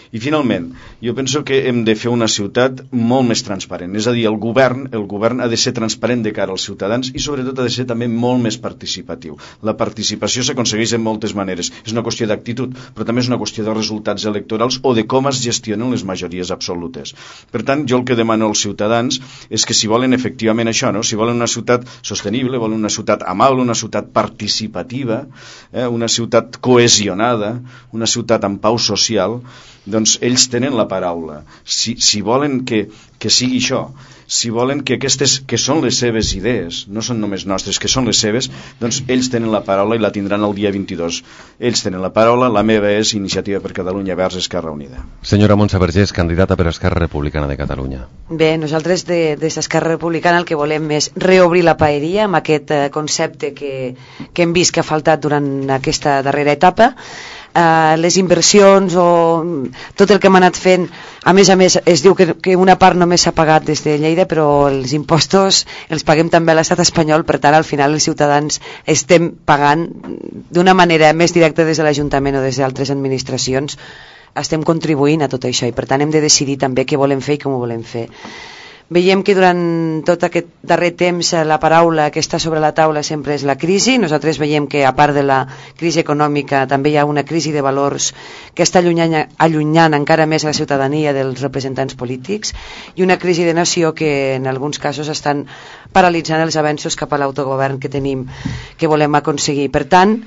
I finalment, jo penso que hem de fer una ciutat molt més transparent, és a dir, el govern, el govern ha de ser transparent de cara als ciutadans i sobretot ha de ser també molt més participatiu. La participació s'aconsegueix de moltes maneres, és una qüestió d'actitud, però també és una qüestió de resultats electorals o de com es gestionen les majories absolutes. Per tant, jo el que demano als ciutadans és que si volen efectivament això, no? Si volen una ciutat sostenible, volen una ciutat amable, una ciutat participativa, eh, una ciutat cohesionada, una ciutat amb pau social. Doncs ells tenen la paraula. Si, si volen que, que sigui això, si volen que aquestes, que són les seves idees, no són només nostres, que són les seves, doncs ells tenen la paraula i la tindran el dia vint-i-dos. Ells tenen la paraula, la meva és Iniciativa per Catalunya Verds Esquerra Unida. Senyora Montse Vergés, candidata per Esquerra Republicana de Catalunya. Bé, nosaltres de, des d'Esquerra Republicana el que volem és reobrir la paeria amb aquest eh, concepte que, que hem vist que ha faltat durant aquesta darrera etapa. Uh, les inversions o tot el que hem anat fent, a més a més es diu que, que una part només s'ha pagat des de Lleida, però els impostos els paguem també a l'estat espanyol, per tant al final els ciutadans estem pagant d'una manera més directa des de l'Ajuntament o des d'altres administracions, estem contribuint a tot això i per tant hem de decidir també què volem fer i com ho volem fer. Veiem que durant tot aquest darrer temps la paraula que està sobre la taula sempre és la crisi. Nosaltres veiem que a part de la crisi econòmica també hi ha una crisi de valors que està allunyant, allunyant encara més la ciutadania dels representants polítics i una crisi de nació que en alguns casos estan paralitzant els avenços cap a l'autogovern que tenim, que volem aconseguir. Per tant,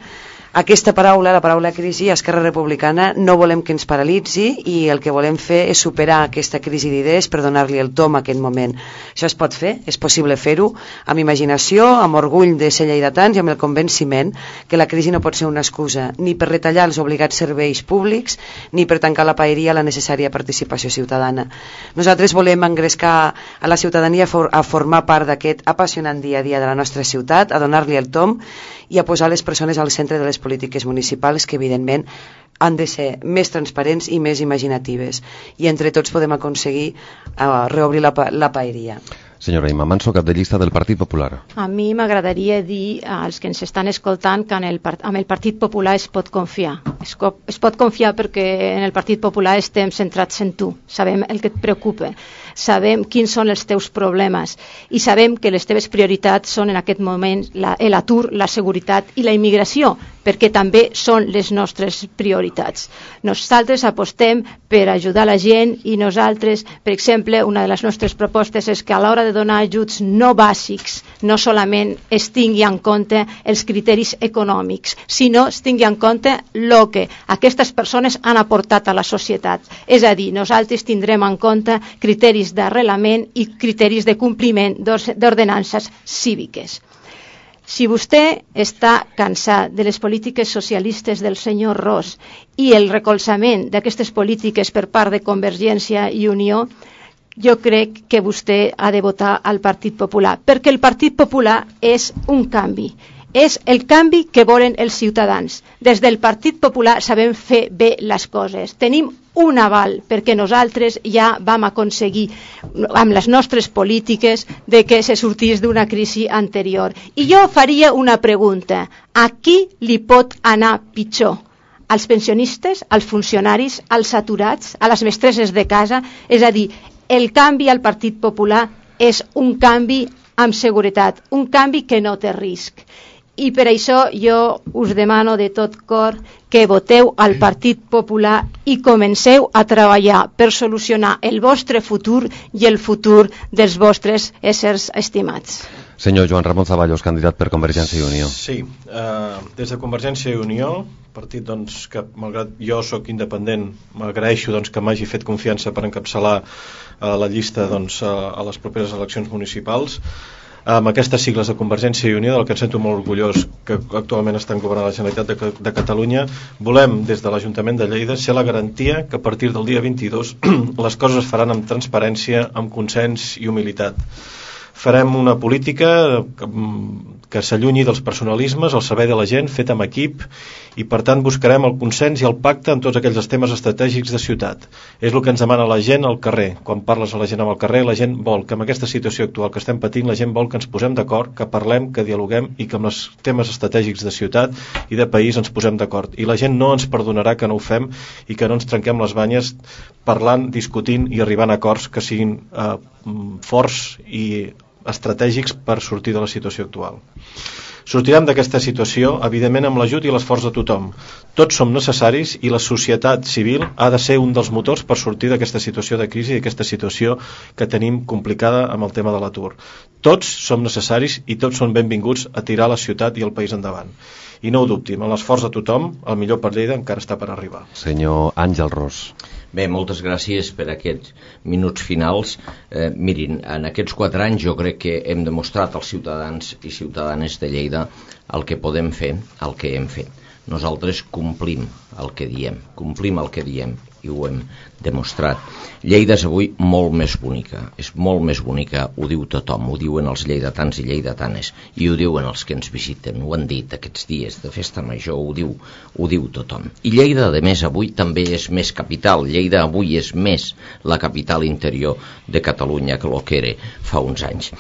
aquesta paraula, la paraula crisi, a Esquerra Republicana no volem que ens paralitzi i el que volem fer és superar aquesta crisi d'idees per donar-li el tom a aquest moment. Això es pot fer, és possible fer-ho amb imaginació, amb orgull de ser lleidatans i amb el convenciment que la crisi no pot ser una excusa ni per retallar els obligats serveis públics ni per tancar la paeria a la necessària participació ciutadana. Nosaltres volem engrescar a la ciutadania a formar part d'aquest apassionant dia a dia de la nostra ciutat, a donar-li el tom i a posar les persones al centre de les polítiques municipals que evidentment han de ser més transparents i més imaginatives i entre tots podem aconseguir uh, reobrir la, la paeria. Senyora Imma Manso, cap de llista del Partit Popular. A mi m'agradaria dir als que ens estan escoltant que en el, amb el Partit Popular es pot confiar. Es, es pot confiar perquè en el Partit Popular estem centrats en tu. Sabem el que et preocupa, sabem quins són els teus problemes i sabem que les teves prioritats són en aquest moment l'atur, la, la seguretat i la immigració, perquè també són les nostres prioritats. Nosaltres apostem per ajudar la gent i nosaltres, per exemple, una de les nostres propostes és que a l'hora de donar ajuts no bàsics no solament es tingui en compte els criteris econòmics, sinó es tingui en compte el que aquestes persones han aportat a la societat. És a dir, nosaltres tindrem en compte criteris d'arrelament i criteris de compliment d'ordenances cíviques. Si vostè està cansat de les polítiques socialistes del senyor Ros i el recolzament d'aquestes polítiques per part de Convergència i Unió, jo crec que vostè ha de votar al Partit Popular, perquè el Partit Popular és un canvi. És el canvi que volen els ciutadans. Des del Partit Popular sabem fer bé les coses. Tenim un aval perquè nosaltres ja vam aconseguir amb les nostres polítiques de que se sortís d'una crisi anterior. I jo faria una pregunta. A qui li pot anar pitjor? Als pensionistes, als funcionaris, als aturats, a les mestresses de casa? És a dir, el canvi al Partit Popular és un canvi amb seguretat, un canvi que no té risc. I per això jo us demano de tot cor que voteu al Partit Popular i comenceu a treballar per solucionar el vostre futur i el futur dels vostres éssers estimats. Senyor Joan Ramon Zaballos, candidat per Convergència i Unió. Sí, eh, des de Convergència i Unió, partit doncs, que malgrat jo sóc independent, m'agraeixo doncs, que m'hagi fet confiança per encapçalar eh, la llista doncs, a, a les properes eleccions municipals. Amb aquestes sigles de Convergència i Unió, del que em sento molt orgullós que actualment estan governant la Generalitat de, de Catalunya, volem des de l'Ajuntament de Lleida ser la garantia que a partir del dia vint-i-dos les coses es faran amb transparència, amb consens i humilitat. Farem una política que, que s'allunyi dels personalismes al servei de la gent, fet amb equip, i per tant buscarem el consens i el pacte en tots aquells temes estratègics de ciutat. És el que ens demana la gent al carrer. Quan parles a la gent al carrer, la gent vol que amb aquesta situació actual que estem patint, la gent vol que ens posem d'acord, que parlem, que dialoguem i que amb els temes estratègics de ciutat i de país ens posem d'acord. I la gent no ens perdonarà que no ho fem i que no ens trenquem les banyes parlant, discutint i arribant a acords que siguin eh, forts i estratègics per sortir de la situació actual. Sortirem d'aquesta situació, evidentment, amb l'ajut i l'esforç de tothom. Tots som necessaris i la societat civil ha de ser un dels motors per sortir d'aquesta situació de crisi i d'aquesta situació que tenim complicada amb el tema de l'atur. Tots som necessaris i tots són benvinguts a tirar la ciutat i el país endavant. I no ho dubti, amb l'esforç de tothom, el millor per Lleida encara està per arribar. Senyor Àngel Ros. Bé, moltes gràcies per aquests minuts finals. Eh, mirin, en aquests quatre anys jo crec que hem demostrat als ciutadans i ciutadanes de Lleida el que podem fer, el que hem fet. Nosaltres complim el que diem, complim el que diem i ho hem demostrat. Lleida és avui molt més bonica, és molt més bonica, ho diu tothom, ho diuen els lleidatans i lleidatanes i ho diuen els que ens visiten, ho han dit aquests dies de festa major, ho diu, ho diu tothom. I Lleida, a més, avui també és més capital, Lleida avui és més la capital interior de Catalunya que el que era fa uns anys.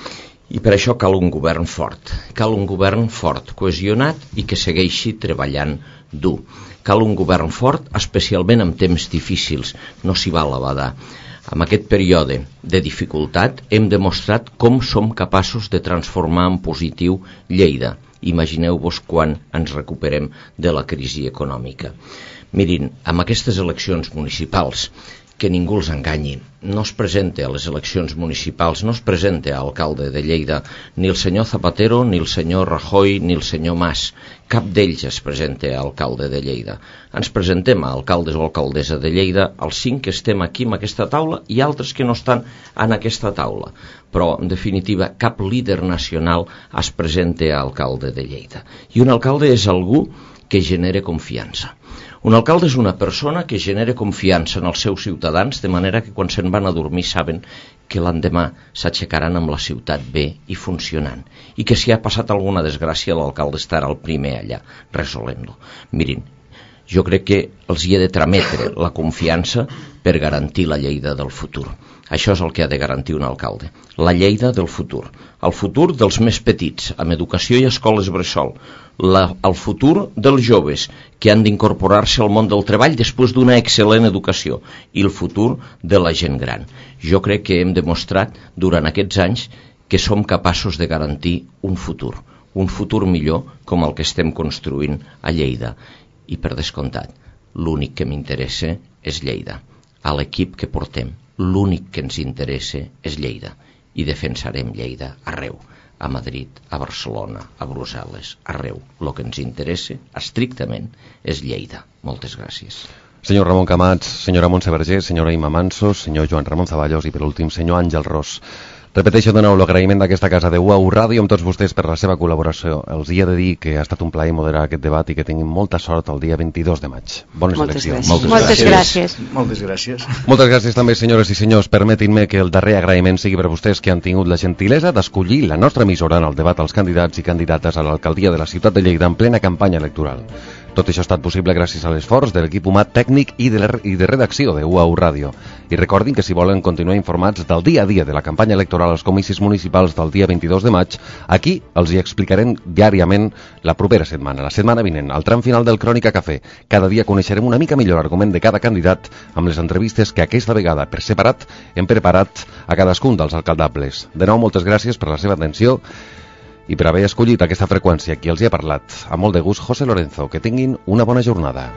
I per això cal un govern fort, cal un govern fort, cohesionat i que segueixi treballant dur. Cal un govern fort, especialment en temps difícils, no s'hi val a badar. En aquest període de dificultat hem demostrat com som capaços de transformar en positiu Lleida. Imagineu-vos quan ens recuperem de la crisi econòmica. Mirin, amb aquestes eleccions municipals, que ningú els enganyi, no es presenta a les eleccions municipals, no es presenta a alcalde de Lleida ni el senyor Zapatero, ni el senyor Rajoy, ni el senyor Mas. Cap d'ells es presenta a alcalde de Lleida. Ens presentem a alcaldes o alcaldessa de Lleida, els cinc que estem aquí en aquesta taula i altres que no estan en aquesta taula. Però, en definitiva, cap líder nacional es presenta a alcalde de Lleida. I un alcalde és algú que genera confiança. Un alcalde és una persona que genera confiança en els seus ciutadans, de manera que quan se'n van a dormir saben que l'endemà s'aixecaran amb la ciutat bé i funcionant, i que si ha passat alguna desgràcia l'alcalde estarà el primer allà, resolent-lo. Mirin, jo crec que els hi he de trametre la confiança per garantir la Lleida del futur. Això és el que ha de garantir un alcalde, la Lleida del futur, el futur dels més petits, amb educació i escoles bressol, la, el futur dels joves que han d'incorporar-se al món del treball després d'una excel·lent educació i el futur de la gent gran. Jo crec que hem demostrat durant aquests anys que som capaços de garantir un futur, un futur millor com el que estem construint a Lleida. I per descomptat, l'únic que m'interessa és Lleida. A l'equip que portem, l'únic que ens interessa és Lleida i defensarem Lleida arreu, a Madrid, a Barcelona, a Brussel·les, arreu. El que ens interessa estrictament és Lleida. Moltes gràcies. Senyor Ramon Camats, senyora Montse Vergés, senyora Ima Mansos, senyor Joan Ramon Zaballos i per últim senyor Àngel Ros. Repeteixo de nou l'agraïment d'aquesta casa de U A U Ràdio amb tots vostès per la seva col·laboració. Els hi he de dir que ha estat un plaer moderar aquest debat i que tinguin molta sort el dia vint-i-dos de maig. Bones Moltes eleccions. gràcies. Moltes, Moltes gràcies. gràcies. Moltes gràcies. Moltes gràcies també, senyores i senyors. Permetin-me que el darrer agraïment sigui per vostès que han tingut la gentilesa d'escollir la nostra emissora en el debat als candidats i candidates a l'alcaldia de la ciutat de Lleida en plena campanya electoral. Tot això ha estat possible gràcies a l'esforç de l'equip humà tècnic i de, la, i de redacció de U A U Ràdio. I recordin que si volen continuar informats del dia a dia de la campanya electoral als comicis municipals del dia vint-i-dos de maig, aquí els hi explicarem diàriament la propera setmana, la setmana vinent, al tram final del Crònica Cafè. Cada dia coneixerem una mica millor l'argument de cada candidat amb les entrevistes que aquesta vegada, per separat, hem preparat a cadascun dels alcaldables. De nou, moltes gràcies per la seva atenció i per haver escollit aquesta freqüència. Qui els hi ha parlat, amb molt de gust, José Lorenzo. Que tinguin una bona jornada.